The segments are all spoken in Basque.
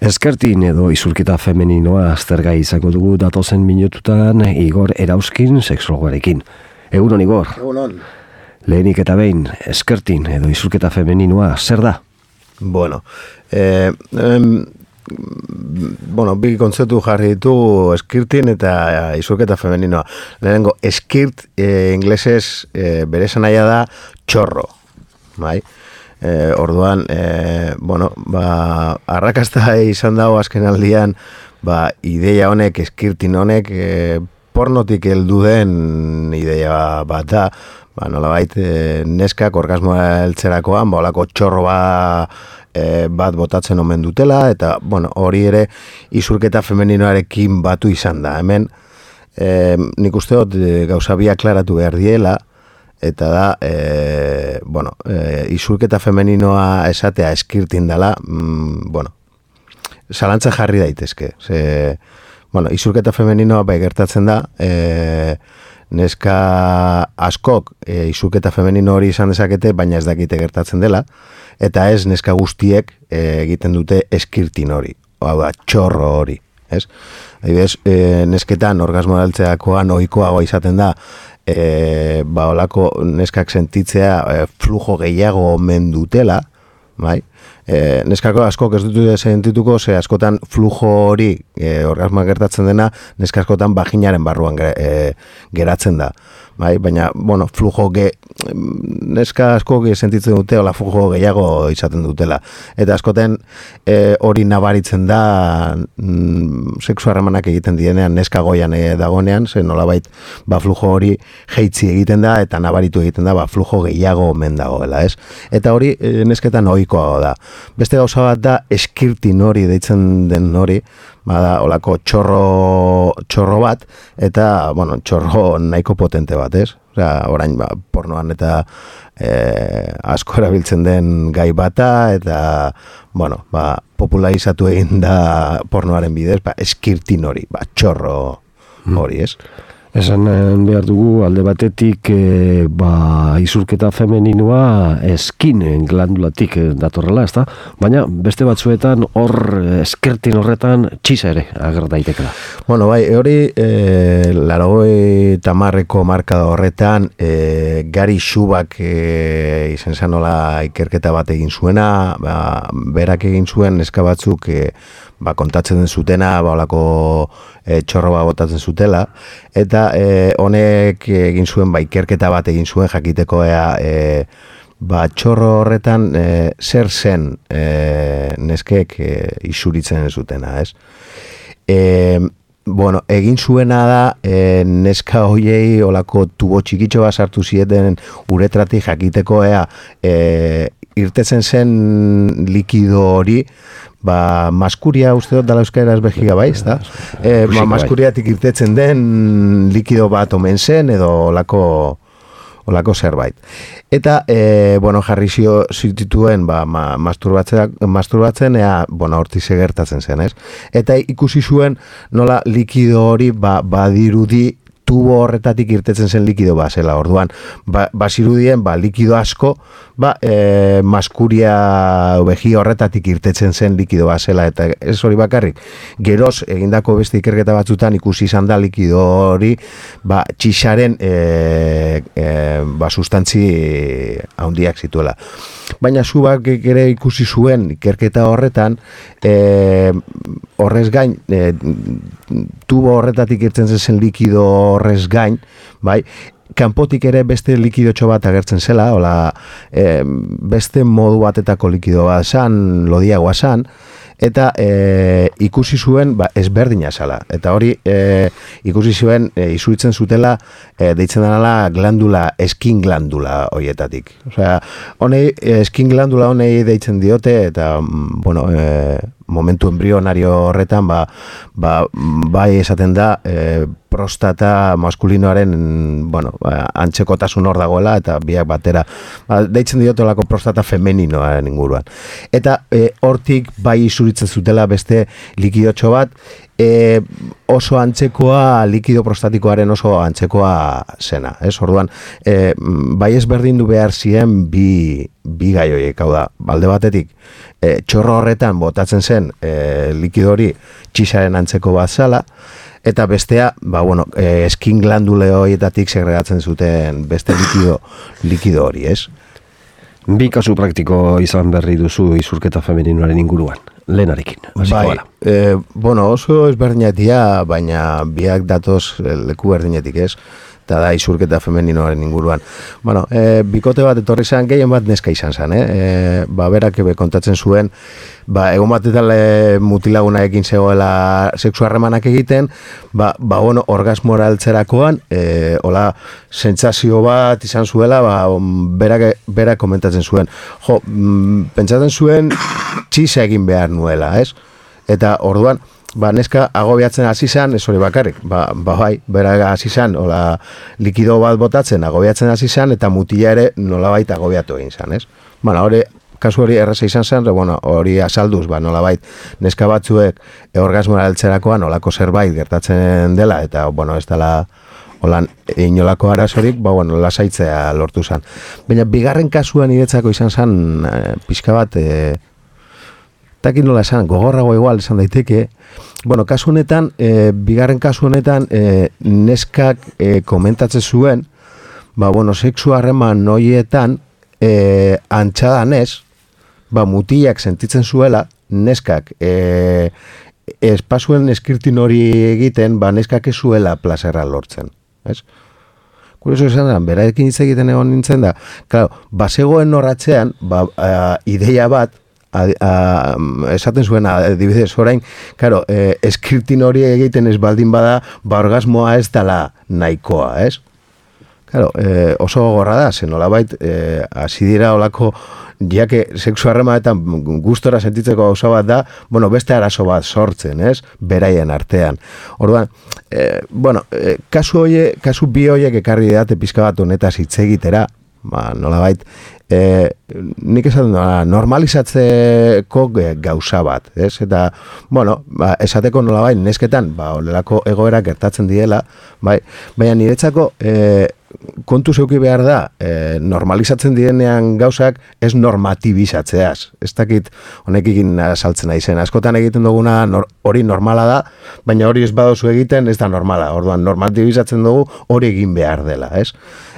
Eskertin edo isurketa femeninoa aztergai izango dugu datozen minututan Igor Erauzkin sexologoarekin. Egunon, Igor. Egunon. Lehenik eta behin, eskertin edo isurketa femeninoa zer da? Bueno, bi kontzeptu jarri ditu eskirtin eta isurketa femeninoa. Lehenengo, eskirt inglesez bere esanahia da txorro, bai? Orduan, arrakasta izan dago azken aldian, ideia honek, eskirtin honek, pornotik heldu den ideia bat da, nolabait neskak orgasmoa heltzerakoan, olako txorro bat botatzen omen dutela, eta hori ere isurketa femeninoarekin batu izan da. Hemen, nik uste dut gauza bi aklaratu behar diela, eta da, isurketa femeninoa esatea eskirtin dela, zalantza jarri daitezke. Isurketa femeninoa bai gertatzen da, neska askok isurketa femenino hori izan dezakete, baina ez dakite gertatzen dela, eta ez neska guztiek egiten dute eskirtin hori, hau da, txorro hori. Adibidez, nesketan orgasmoa heltzerakoan ohikoagoa izaten da, olako neskak sentitzea flujo gehiago omen dutela, bai? Neskako askok ez dute sentituko, ze askotan flujo hori orgasmoa gertatzen dena, neska askotan vaginaren barruan geratzen da. Bai, baina, flujo neska asko sentitzen dute, ola flujo gehiago izaten dutela. Eta askoten hori nabaritzen da sexu harremanak egiten dienean, neska goian dagonean, ze nolabait flujo hori jeitzi egiten da, eta nabaritu egiten da, flujo gehiago omen dagoela, ez? Eta hori nesketan ohikoa da. Beste gauza bat da, eskirtin hori deitzen den hori, olako txorro bat, eta, txorro nahiko potente bat, ez? Orain, pornoan eta asko erabiltzen den gai bata, eta, popularizatu egin da pornoaren bidez, eskirtin hori, txorro hori, ez? Esan behar dugu alde batetik isurketa femeninoa eskin glandulatik datorrela, ezta? Baina beste batzuetan hor eskertin horretan txisa ere ager daitekela. Hori 80ko markada horretan Gary Schubak izen zanola ikerketa bat egin zuena, berak egin zuen neska batzuk kontatzen den zutena, olako txorro botatzen zutela, eta honek egin zuen, ikerketa bat egin zuen jakiteko txorro horretan zer zen neskek isuritzen zutena, ez? Egin zuena da neska hoiei olako tubo txikitxo bat sartu zieten uretratik jakiteko irtetzen zen likido hori, maskuria uste dut dala euskaraz behiga bai, ezta? Maskuriatik irtetzen den likido bat omen zen edo olako zerbait. Eta, jarri zituen masturbatzen, horti gertatzen zen, ez? Eta ikusi zuen nola likido hori badirudi tubo horretatik irtetzen zen likido zela. Orduan, bazirudien likido asko, maskuria behi horretatik irtetzen zen likido zela, eta ez hori bakarrik. Geroz, egindako beste ikerketa batzutan ikusi izan da likido hori, txixaren sustantzi handiak zituela. Baina Zubak ere ikusi zuen ikerketa horretan, horrez gain, tubo horretatik irten zen likido horrez gain, kanpotik ere beste likidotxo bat agertzen zela, beste modu batetako likido bat zan, lodiagoa zan, eta ikusi zuen ezberdina zala. Eta hori ikusi zuen isuritzen zutela deitzen denala glandula, eskin glandula horietatik. Eskin glandula honei deitzen diote, eta momentu embrionario horretan bai esaten da prostata maskulinoaren antzekotasun hor dagoela, eta biak batera deitzen diotolako prostata femeninoaren inguruan. Eta hortik bai isuritzen zutela beste likidotxo bat, oso antzekoa, likido prostatikoaren oso antzekoa zena, ez? Orduan, bai ezberdindu behar ziren bi gai horiek, hau da, alde batetik, txorro horretan botatzen zen likido hori txisaren antzeko bat zala, eta bestea, eskin glandule horietatik segregatzen zuten beste likido hori, ez? Bi kasu praktiko izan berri duzu isurketa femeninoaren inguruan, lehenarekin. Bai, oso ezberdinetia, baina biak datoz leku berdinetik, ez? Eta da isurketa femeninoaren inguruan. Bikote bat etorri zen, gehien bat neska izan zen, berak kontatzen zuen, egon batetan mutilaguna ekin zegoela sexu harremanak egiten, orgasmora altzerakoan, hola, sentsazio bat izan zuela, berak komentatzen zuen. Pentsatzen zuen, txisa egin behar nuela, ez? Eta orduan, neska agobiatzen hasi zan, ez hori bakarrik, berak hasi zan, likido bat botatzen agobiatzen hasi zan, eta mutila ere nolabait agobiatu egin zan, ez? Kasu hori erraza izan zen, hori asalduz, nolabait neska batzuek orgasmoa heltzerakoan olako zerbait gertatzen dela, eta, ez dela inolako arazorik, lasaitzea lortu zen. Baina, bigarren kasuan niretzako izan zen, pixka bat, takin nola esan, gogorrago igual esan daiteke, kasu honetan, bigarren kasu honetan, neskak komentatzen zuen, sexu harreman horietan, antxadanez, mutilak sentitzen zuela, neskak espazuen eskirtin hori egiten, neskak ez zuela plazerra lortzen, ez? Kurioso esan da, berarekin hitz egiten egon nintzen da, bazegoen horratzean, ideia bat, esaten zuen, adibidez, orain, eskirtin hori egiten ez baldin bada, orgasmoa ez dela nahikoa, ez? Oso gogorra da, zen nolabait, hasi dira olako, jake sexu harremanetan gustora sentitzeko gauza bat da, beste arazo bat sortzen, ez? Beraien artean. Orduan, kasu bi horiek ekarri date pizka bat honetaz hitz egitera, nolabait, nik esaten da, normalizatzeko gauza bat, ez? Eta, esateko nolabait, nesketan, olelako egoera gertatzen diela, baina niretzako, kontu zeuki behar da, normalizatzen direnean gauzak ez normatibizatzeaz. Ez dakit honekin saltzen aizen. Askotan egiten duguna hori normala da, baina hori ez badozu egiten ez da normala. Orduan, normatibizatzen dugu hori egin behar dela, ez?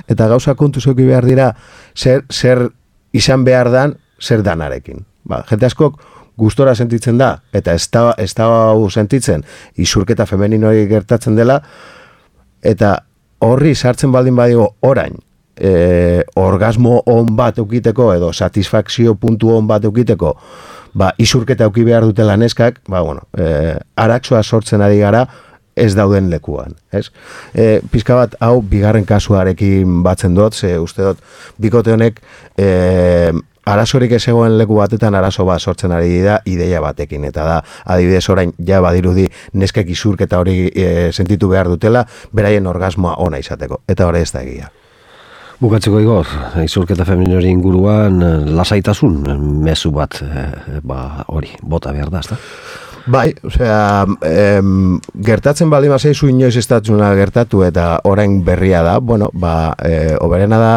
Eta gauza kontu zeuki behar dira, zer izan behar dan, zer danarekin. Jente askok gustora sentitzen da, eta ez da sentitzen, isurketa femeninoari gertatzen dela, eta horri sartzen baldin badigo orain, orgasmo on bat eukiteko edo satisfakzio puntu on bat eukiteko, isurketa euki behar dutela neskak, arazoa sortzen ari gara ez dauden lekuan, ez? Pizka bat, hau, bigarren kasuarekin batzen dut, ze uste dut, bikote honek, arazorik ez egoen leku batetan arazo bat sortzen ari da ideia batekin, eta da, adibidez orain, ja badirudi neskek isurketa hori sentitu behar dutela, beraien orgasmoa ona izateko, eta hori ez da egia. Bukatzeko Igor, isurketa femeninoaren inguruan lasaitasun mezu bat hori, bota behar da, ezta? Bai, osea, gertatzen baldin bazaizu inoiz estatzuna gertatu eta orain berria da, oberena da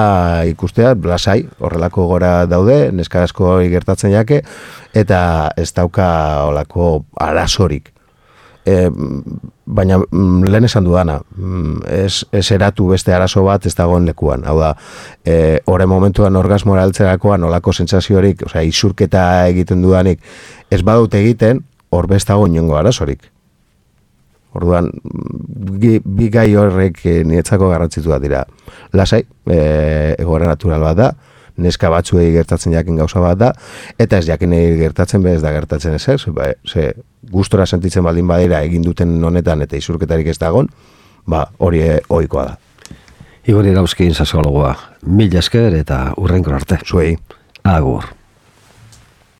ikustea, lasai, horrelako gora daude, neska asko gertatzen jake, eta ez dauka olako arazorik. Baina lehen esan dudana, ez eratu beste arazo bat ez dagoen lekuan. Hau da, horren momentuan orgasmora altzerakoan olako sentsaziorik, osea, isurketa egiten dudanik, ez badut egiten, hor bestago inongo arazorik. Orduan, bi gai horrek niretzako garrantzitua dira. Lasai, egoera natural bat da, neska batzuei gertatzen jakin gauza bat da, eta ez jakinei gertatzen bez da gertatzen ez, ze gustora sentitzen baldin badira egin duten honetan eta isurketarik ez dagon, hori ohikoa da. Igor Irauzkin sexologoa, mila esker eta hurrengo arte. Zuei. Agur.